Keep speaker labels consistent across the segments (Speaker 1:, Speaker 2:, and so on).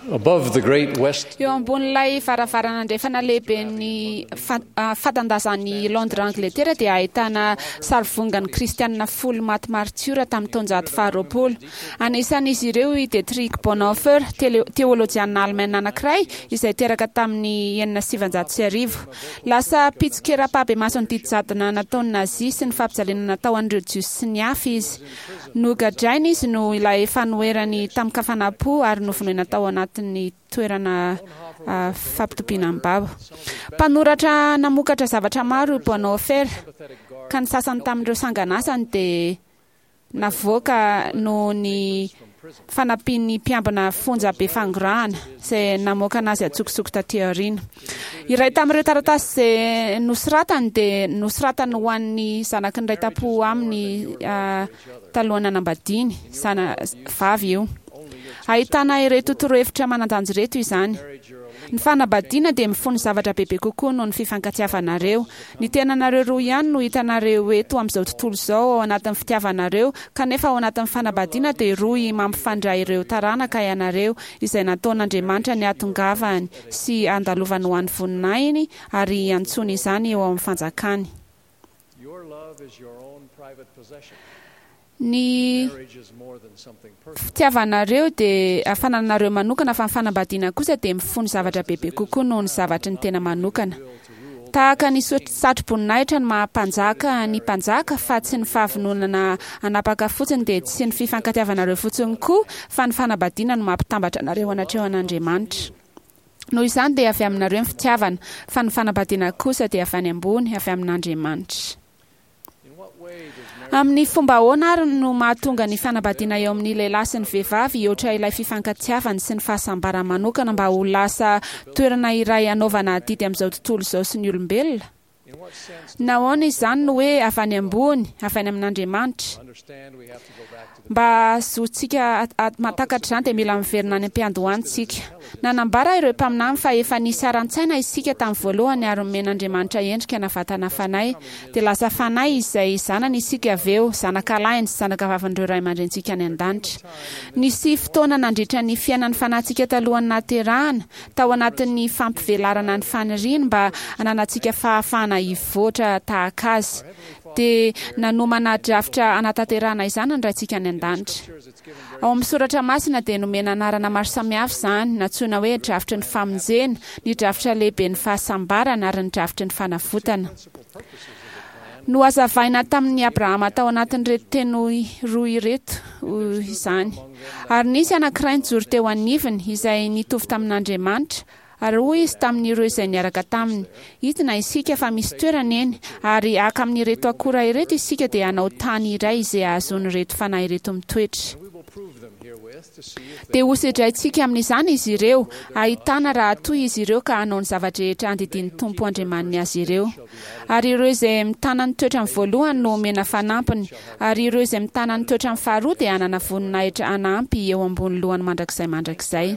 Speaker 1: Above the great west
Speaker 2: Eo ambonin'ilay varavarana andrefana lehiben'ny fatan-dazan'i Londres Angletera dia ahitana sarivongan'ny Kristianina folo maty maritiora tamin'ny taonjato faharoapolo. Anisan'izy ireo i Dietrich Bonhoeffer, teolojianina alemaina anankiray izay teraka tamin'ny 1906. Lasa mpitsikera ampahibemaso ny didy jadona nataon'ny Nazia sy ny fampijaliana natao an'ireo Jiosy sy ny hafa izy. Nogadraina izy noho ilay fanoherany tamin-kafanam-po ary novonoina tao anatin'ny toerana fampitobiana ny babo. Mpanoratra namokatra zavatra maro i Bonhoeffer, ka ny sasany tamin'ireo sanganasany dia navoaka noho ny fanampian'ny mpiambina fonja be fangorahana, izay namoaka anazy an-tsokosoko tatỳ aoriana. Iray tamin'ireo taratasy izay nosoratany dia nosoratany ho an'ny zanaky ny iray tam-po aminy talohan'ny nanambadiany, zana vavy io. Ahitana ireto torohevitra manan-danja ireto izany, Ny fanambadiana dia mifono zavatra bebe kokoa noho ny fifankatiavanareo. Ny tenanareo roa ihany no hitanareo eto amin'izao tontolo izao ao anatin'ny fitiavanareo, kanefa ao anatin'ny fanambadiana dia rohy mampifandray ireo taranaka ianareo, izay nataon'Andriamanitra ny hahatongavany sy handalovany ho an'ny voninahiny ary hiantsoany izany eo amin'ny fanjakany. Ny fitiavanareo dia fanananareo manokana fa ny fanambadiana kosa dia mifono zavatra bebe kokoa noho ny zavatry ny tena manokana. Tahaka ny satroboninahitra ny maha mpanjaka ny mpanjaka fa tsy ny fahavononana hanapaka fotsiny dia tsy ny fifankatiavanareo fotsiny koa fa ny fanambadiana no mampitambatra anareo anatrehan'Andriamanitra. Noho izany dia avy aminareo ny fitiavana fa ny fanambadiana kosa dia avy any ambony, avy amin'Andriamanitra. Amin'ny fomba ahoana àry no mahatonga ny fanambadiana eo amin'ny lehilahy sy ny vehivavy hihoatra ilay fifankatiavany sy ny fahasambarany manokana mba ho lasa toerana iray hanaovana adidy amin'izao tontolo izao sy ny olombelona? Nahoana izany no hoe avy any ambony, avy any amin'Andriamanitra? Mba hahazoantsika mahatakatra izany dia mila miverina any am-piandohana isika. Nanambara ireo mpaminany fa efa nisy haran-tsaina isika tamin'ny voalohany ary nomen'Andriamanitra endrika na vatana fanahy. Dia lasa fanahy izay zanany isika avy eo, zanakalahiny sy zanakavavin'ireo ray aman-drenintsika any an-danitra. Nisy fotoana nandritra ny fiainan'ny fanahintsika talohan'ny nahaterahana, tao anatin'ny fampivelarana ny faniriany mba hananantsika fahafahana hivoatra tahaka Azy. Dia nanomana drafitra hanatanterahana izany ny Raintsika any An-danitra. Ao amin'ny soratra masina dia nomena anarana maro samihafa izany, nantsoina hoe drafitry ny famonjena, ny drafitra lehiben'ny fahasambarana ary ny drafitry ny fanavotana. Nohazavaina tamin'i Abrahama tao anatin'ireto teny roa ireto izany. Ary nisy anankiray nijoro teo anivony, izay nitovy tamin'Andriamanitra, Ary hoy izy tamin'ireo izay niaraka taminy, Hidina isika, fa misy toerana eny, ary haka amin'ireto akora ireto isika dia hanao tany iray izay hahazoan'ireto fanahy ireto mitoetra. Dia hosedraintsika amin'izany izy ireo, hahitana raha toa izy ireo ka hanao ny zava-drehetra andidian'ny Tompo Andriamaniny azy ireo. Ary ireo izay mitana ny toetrany voalohany no homena fanampiny, ary ireo izay mitana ny toetrany faharoa dia hanana voninahitra hanampy eo ambony lohany mandrakizay mandrakizay.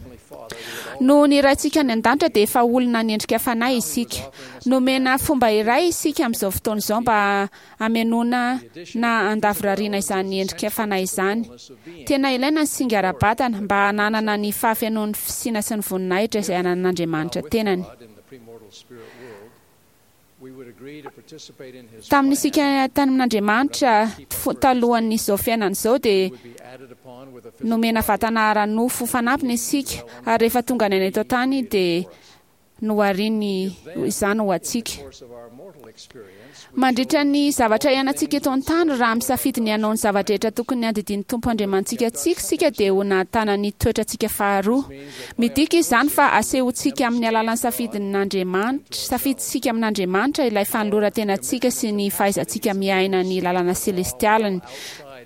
Speaker 2: Noho ny Raintsika any An-danitra dia efa olona niendrika fanahy isika. Nomena fomba iray isika amin'izao fotoana izao mba hamenoana na handavorariana izany endrika fanahy izany. Tena ilaina ny singa ara-batana mba hananana ny fahafenoan'ny fisiana sy ny voninahitra izay ananan'Andriamanitra tenany. Tamin'isika tany amin'Andriamanitra talohan'izao fiainana izao dia nomena vatana ara-nofo fanampiny isika ary rehefa tonga ny aina eto an-tany dia nohariny izany ho antsika. Mandritra ny zavatra iainantsika eto an-tany, raha misafidy ny hanao ny zava-drehetra tokony handidian'ny Tompo Andriamanitsika antsika isika dia ho nahatana ny toetrantsika faharoa. Midika izany fa asehontsika amin'ny alalan'ny safidin'Andriamanitra, safidintsika amin'Andriamanitra ilay fanoloran-tenantsika sy ny fahaizantsika miaina ny lalana selestialiny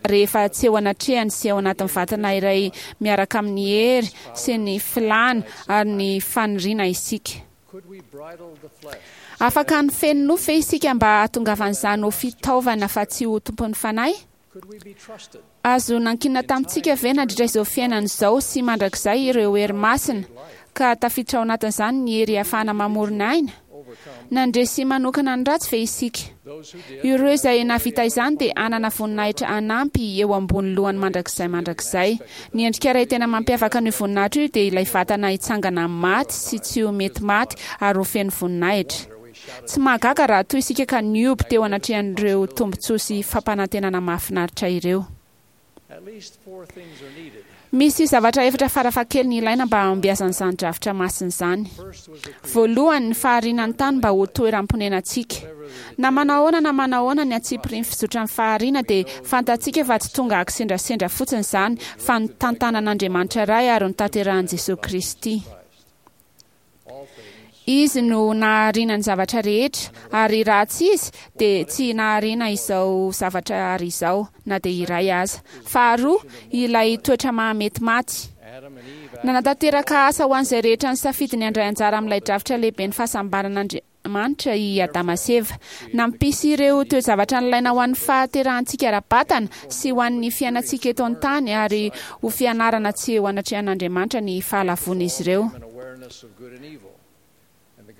Speaker 2: rehefa tsy eo anatrehany sy ao anatin'ny vatana iray miaraka amin'ny hery sy ny filàna ary ny faniriana isika. Afaka nifehy ny nofo ve isika mba hahatongavan'izany ho fitaovana fa tsy ho tompon'ny fanahy? Azo nankinina tamintsika ve nandritra izao fiainana izao sy mandrakizay ireo hery masina, ka tafiditra ao anatin'izany ny hery ahafahana mamorona aina? Nandresy manokana ny ratsy ve isika? Ireo izay nahavita izany dia hanana voninahitra hanampy eo ambony lohany mandrakizay mandrakizay. Ny endrika iray tena mampiavaka an'io voninahitra io dia ilay vatana hitsangana amin'ny maty sy tsy ho mety maty ary ho feno voninahitra. Tsy mahagaga raha toa isika ka nihoby teo anatrehan'ireo tombontsoa sy fampanantenana mahafinaritra ireo. Misy zavatra efatra farafahakeliny ilaina mba hahombiazan'izany drafitra masina izany. Voalohany, ny fahariana ny tany mba ho toeram-ponenantsika. Na manahoana na manahoana ny antsipirian'ny fizotran'ny fahariana dia fantatsika fa tsy tonga akisendrasendra fotsiny izany fa notantanan'Andriamanitra Ray ary notanterahin'i Jesoa Kristy. Izy no nahariana ny zavatra rehetra, ary raha tsy Izy, dia tsy nahariana izao zavatra ary izao, na dia iray aza. Faharoa, ilay toetra maha-mety maty. Nanatanteraka asa ho an'izay rehetra nisafidy ny handray anjara amin'ilay drafitra lehiben'ny fahasambaran'Andriamanitra i Adama sy Eva. Nampisy ireo toe-javatra nilaina ho an'ny fahaterahantsika ara-batana sy ho an'ny fiainantsika eto an-tany ary ho fianarana tsy eo anatrehan'Andriamanitra ny fahalavoan'izy ireo.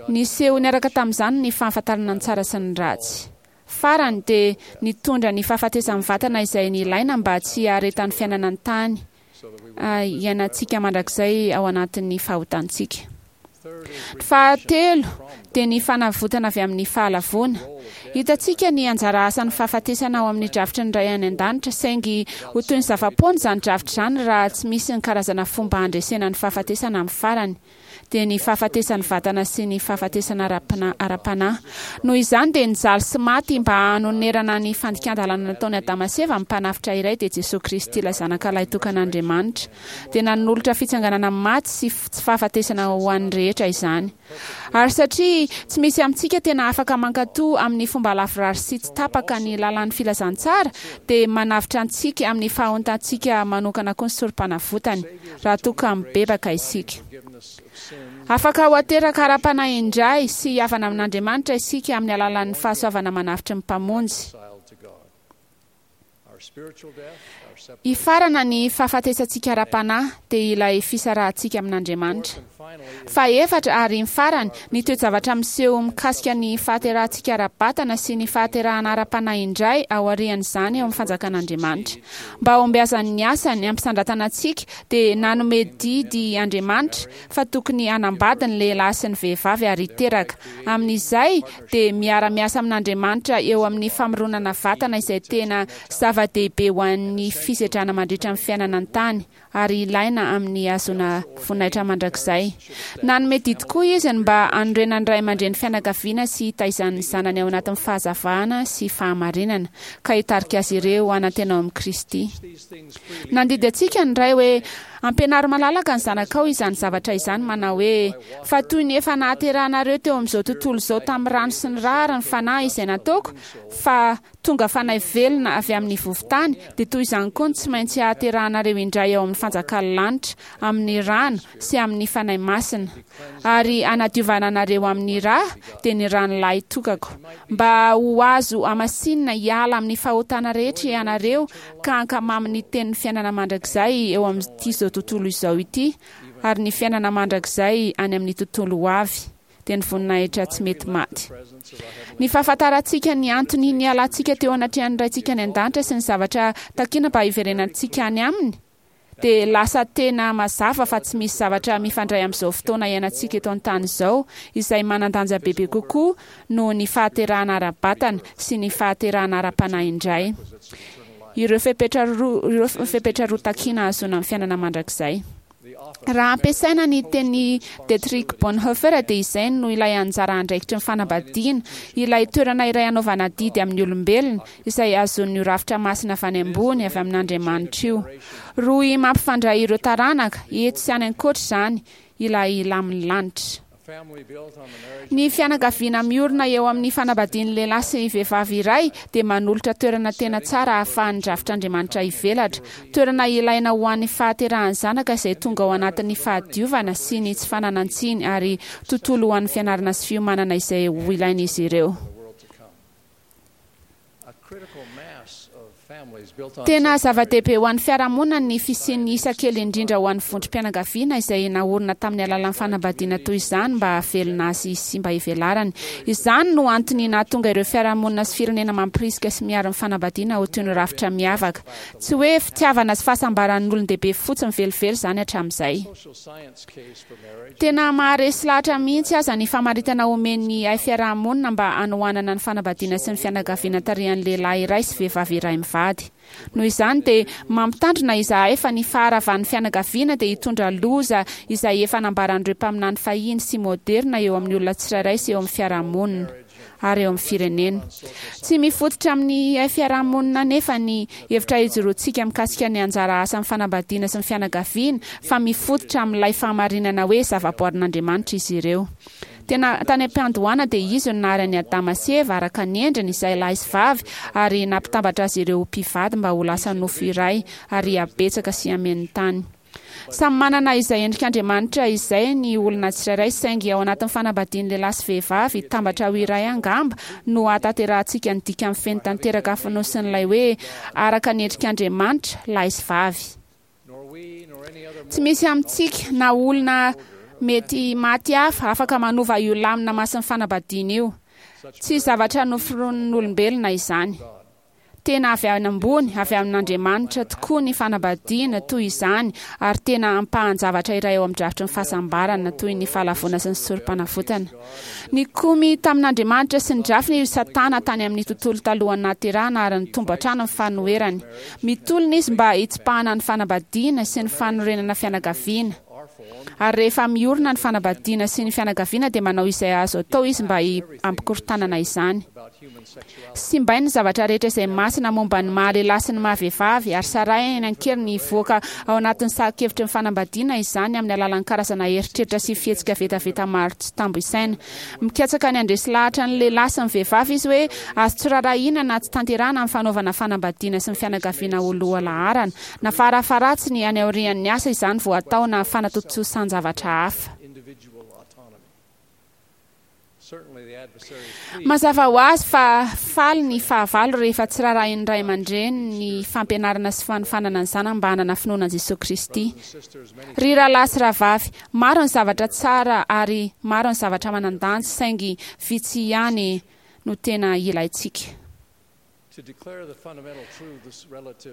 Speaker 2: Niseho niaraka tamin'izany ny fahafantarana ny tsara sy ny ratsy. Farany, dia nitondra ny fahafatesan'ny vatana izay nilaina mba tsy haharetan'ny fiainana an-tany iainantsika mandrakizay ao anatin'ny fahotantsika. Ny fahatelo dia ny fanavotana avy amin'ny fahalavoana. Hitantsika ny anjara asan'ny fahafatesana ao amin'ny drafitry ny Ray any An-danitra, saingy ho toy ny zava-poana izany drafitra izany raha tsy misy ny karazana fomba handresena ny fahafatesana amin'ny farany. dia ny fahafatesan'ny vatana sy ny fahafatesana ara-panahy. Noho izany dia nijaly sy maty mba hanonerana ny fandikan-dalàna nataon'i Adama sy Eva ny Mpanavotra iray, dia Jesoa Kristy ilay Zanaka Lahitokan'Andriamanitra. Dia nanolotra fitsanganana amin'ny maty sy tsy fahafatesana ho an'ny rehetra izany. Ary satria tsy misy amintsika tena afaka mankatò amin'ny fomba lavorary sy tsy tapaka ny lalàn'ny filazantsara, dia manavotra antsika amin'ny fahontantsika manokana koa ny Sorompanavotany, raha toa ka mibebaka isika. Afaka ho ateraka ara-panahy indray sy hihavana amin'Andriamanitra isika amin'ny alalan'ny fahasoavana manavotry ny Mpamonjy. Hifarana ny fahafatesantsika ara-panahy, dia ilay fisarahantsika amin'Andriamanitra. Fahefatra, ary ny farany, ny toe-javatra miseho mikasika ny fahaterahantsika ara-batana sy ny fahaterahana ara-panahy indray aorian'izany ao amin'ny fanjakan'Andriamanitra. Mba hahombiazan'ny asany hampisandratana antsika, dia nanome didy Andriamanitra fa tokony hanambady ny lehilahy sy ny vehivavy ary hiteraka. Amin'izay dia miara-miasa amin'Andriamanitra eo amin'ny famoronana vatana izay tena zava-dehibe ho an'ny fisedrana mandritra ny fiainana an-tany ary ilaina amin'ny hahazoana voninahitra mandrakizay. Nanome didy koa Izy ny mba hanorenan'ny ray aman-dreny fianakaviana sy hitaizany ny zanany ao anatin'ny fahazavana sy fahamarinana, ka hitarika azy ireo hanantena ao amin'i Kristy. Nandidy antsika ny Ray hoe, Ampianaro malalaka ny zanakao izany zavatra izany, manao hoe, Fa toy ny efa nahaterahanareo teo amin'izao tontolo izao tamin'ny rano sy ny ra ary ny Fanahy izay nataoko fa tonga fanahy velona avy amin'ny vovo-tany, dia toy izany koa no tsy maintsy hahaterahanareo indray ao amin'ny fanjakan'ny lanitra, amin'ny rano sy amin'ny Fanahy Masina, ary hanadiovana anareo amin'ny ra, dia ny ran'ny lahy tokako, mba ho azo hamasinina hiala amin'ny fahotana rehetra ianareo ka hankamamy ny tenin'ny fiainana mandrakizay eo amin'ity izao tontolo izao ity ary ny fiainana mandrakizay any amin'ny tontolo ho avy, dia ny voninahitra tsy mety maty. Ny fahafantarantsika ny antony nialantsika teo anatrehan'ny Raintsika any An-danitra sy ny zavatra takina mba hiverenantsika any Aminy dia lasa tena mazava fa tsy misy zavatra mifandray amin'izao fotoana iainantsika eto an-tany izao izay manan-danja bebe kokoa noho ny fahaterahana ara-batana sy ny fahaterahana ara-panahy indray. Ireo fepetra roa ireo fepetra roa takiana hahazoana ny fiainana mandrakizay. Raha ampiasaina ny tenin'i Dietrich Bonhoeffer dia izay no ilay anjara andraikitry ny fanambadiana, ilay toerana iray anaovana adidy amin'ny olombelona, izay hazonin'io rafitra masina avy any ambony, avy amin'Andriamanitra io. Rohy mampifandray ireo taranaka, eto sy any ankoatra izany, ilay lamin'ny lanitra. Ny fianakaviana miorina eo amin'ny fanambadian'ny lehilahy sy vehivavy iray dia manolotra toerana tena tsara ahafahan'ny drafitr'Andriamanitra hivelatra, toerana ilaina ho an'ny fahaterahan'ny zanaka izay tonga ao anatin'ny fahadiovana sy ny tsy fananan-tsiny ary tontolo ho an'ny fianarana sy fiomanana izay ho ilain'izy ireo. Tena zava-dehibe ho an'ny fiarahamonina ny fisian'ny isa kely indrindra ho an'ny vondrom-pianakaviana izay naorina tamin'ny alalan'ny fanambadiana toy izany mba hahavelona azy sy mba hivelarany. Izany no antony nahatonga ireo fiarahamonina sy firenena mampirisika sy miaro ny fanambadiana ho toy ny rafitra miavaka. Tsy hoe fitiavana sy fahasambaran'ny olon-dehibe fotsiny velively izany hatramin'izay. Tena maharesy lahatra mihitsy aza ny famaritana omen'ny haifiarahamonina mba hanohanana ny fanambadiana sy ny fianakaviana tarihan'ny lehilahy iray sy vehivavy iray mivady. Noho izany dia mampitandrina izahay fa ny faharavan'ny fianakaviana dia hitondra loza izay efa nambaran'ireo mpaminany fahiny sy moderina eo amin'ny olona tsirairay sy eo amin'ny fiarahamonina. ary eo amin'ny firenena. Tsy mifototra amin'ny haifiarahamonina anefa ny hevitra ijoroantsika mikasika ny anjara asan'ny fanambadiana sy ny fianakaviana fa mifototra amin'ilay fahamarinana hoe zavaboarin'Andriamanitra izy ireo. Tena tany am-piandohana dia Izy no nahary an'i Adama sy Eva araka ny endriny, izay lahy sy vavy, ary nampitambatra azy ireo ho mpivady mba ho lasa nofo iray ary hihabetsaka sy hameno ny tany. Samy manana izay endrik'Andriamanitra izay ny olona tsirairay saingy ao anatin'ny fanambadian'ny lehilahy sy vehivavy hitambatra ho iray angamba no hahatanterahantsika ny dikany feno tanteraka fonosin'ilay hoe araka ny endrik'Andriamanitra, lahy sy vavy. Tsy misy amintsika na olona mety maty hafa afaka manova io lamina masin'ny fanambadiana io. Tsy zavatra noforonin'olombelona izany. Tena avy any ambony, avy amin'Andriamanitra, tokoa ny fanambadiana toy izany, ary tena ampahan-javatra iray ao amin'ny drafitry ny fahasambarana, toy ny fahalavoana sy ny sorom-panavotana. Nikomy tamin'Andriamanitra sy ny drafiny i Satana tany amin'ny tontolo talohan'ny nahaterahana ary nitombo hatrany ny fanoherany. Mitolona izy mba hitsipahana ny fanambadiana sy ny fanorenana fianakaviana. Ary rehefa miorina ny fanambadiana sy ny fianakaviana dia manao izay azo atao izy mba hampikorontanana izany. Simbainy ny zavatra rehetra izay masina momba ny maha lehilahy sy ny maha vehivavy ary sarahiny an-keriny hivoaka ao anatin'ny sahan-kevitry ny fanambadiana izany amin'ny alalan'ny karazana eritreritra sy fihetsika vetaveta maro tsy tambo isaina. Mikatsaka ny handresy lahatra ny lehilahy sy ny vehivavy izy hoe azo tsy rarahiana na tsy tanterahana ny fanaovana fanambadiana sy ny fianakaviana ho lohalaharana na farafaharatsiny any aorian'ny asa izany vao atao na fanatontosan-javatra hafa. Mazava ho azy fa faly ny fahavalo rehefa tsy rarahin'ny ray aman-dreny ny fampianarana sy fanofanana ny zanany mba hanana finoana an'i Jesoa Kristy. Ry rahalahy sy rahavavy, maro ny zavatra tsara ary maro ny zavatra manan-danja saingy vitsy ihany no tena ilaintsika.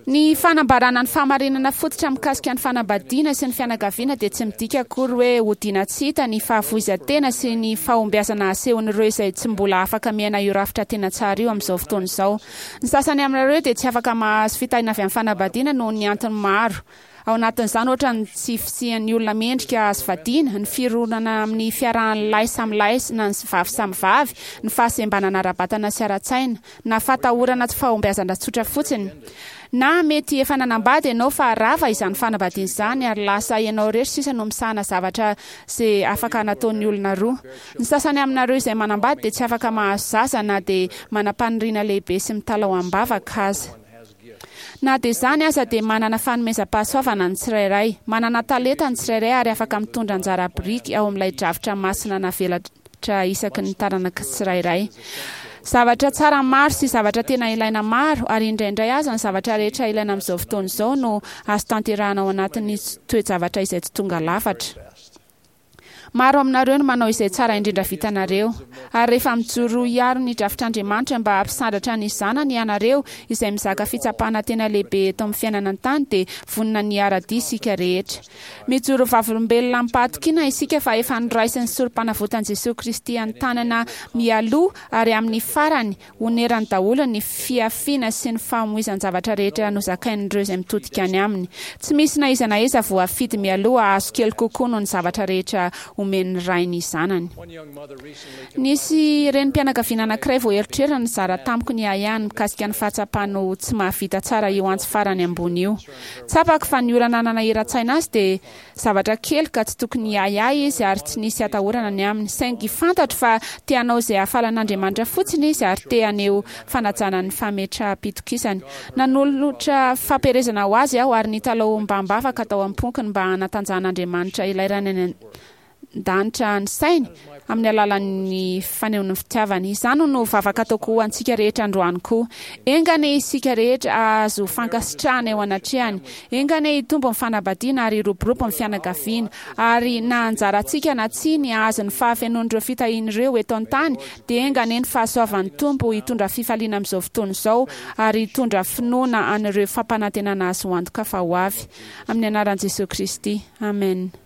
Speaker 2: Ny fanambarana ny fahamarinana fototra mikasika ny fanambadiana sy ny fianakaviana dia tsy midika akory hoe hodiana tsy hita ny fahafoizan-tena sy ny fahombiazana asehon'ireo izay tsy mbola afaka miaina io rafitra tena tsara io amin'izao fotoana izao. Ny sasany aminareo dia tsy afaka mahazo fitahiana avy amin'ny fanambadiana noho ny antony maro. Ao anatin'izany ohatra ny tsy fisian'ny olona mendrika azo vadiana, ny fironana amin'ny fiarahan'ny lahy samy lahy na ny vavy samy vavy, ny fahasembanana ara-batana sy ara-tsaina, na fatahorana tsy fahombiazana tsotra fotsiny. Na mety efa nanambady ianao fa rava izany fanambadiana izany ary lasa ianao irery sisa no misahana zavatra ze afaka nataon'ny olona roa. Ny sasany aminareo izay manambady dia tsy afaka mahazo zaza na dia manam-paniriana lehibe sy mitalaho am-bavaka aza. Na dia izany aza dia manana fanomezam-pahasoavana ny tsirairay, manana talenta ny tsirairay ary afaka mitondra anjara biriky ao amin'ilay drafitra masina navelatra isaky ny taranaka tsirairay. Zavatra tsara maro sy zavatra tena ilaina maro, ary indraindray aza ny zavatra rehetra ilaina amin'izao fotoana izao no azo tanterahana ao anatin'ny toe-javatra izay tsy tonga lafatra. Maro aminareo no manao izay tsara indrindra vitanareo. Ary rehefa mijoro hiaro ny drafitr'Andriamanitra mba hampisandratra ny Zanany ianareo, izay mizaka fitsapana tena lehibe eto amin'ny fiainana an-tany, dia vonona ny hiara-dia isika rehetra. Mijoro vavolombelona amim-pahatokiana isika fa efa noraisin'ny Sorompanavotan'i Jesoa Kristy an-tanana mialoha ary amin'ny farany Onerany daholo ny fihafiana sy ny famoizan-javatra rehetra nozakain'ireo izay mitodika any aminy. Tsy misy na iza na iza voafidy mialoha hahazo kely kokoa noho ny zavatra rehetra omen'ny ray ny zanany. Nisy renim-pianakaviana anankiray vao erotrerony nizara tamiko ny ahiahiny mikasika ny fahatsapany ho tsy mahavita tsara io antso farany ambony io. Tsapako fa ny olana nanahiran-tsaina azy dia Zavatra kely ka tsy tokony hiahiahy izy ary tsy nisy atahorana ny aminy. Saingy fantatro fa te hanao izay hahafaly an'Andriamanitra fotsiny izy ary te haneho fanajana ny fametraham-pitokisany. Nanolotra fampielezana ho azy aho ary nitalaho ombam-bavaka tao am-poko ny mba hanatanjahan'Andriamanitra ilay Rainy any. an-danitra ny sainy amin'ny alalan'ny fanehoany ny fitiavany. Izany no vavaka ataoko ho antsika rehetra androany koa. Enga anie isika rehetra hahazo fankasitrahana eo anatrehany. Enga anie hitombo ny fanambadiana ary hiroborobo ny fianakaviana. Ary na anjarantsika na tsia ny hahazo ny fahafenoan'ireo fitahiana ireo eto an-tany, dia enga anie ny fahasoavan'ny Tompo hitondra fifaliana amin'izao fotoana izao ary hitondra finoana an'ireo fampanantenana azo antoka fa ho avy. Amin'ny anaran'i Jesoa Kristy. Amen.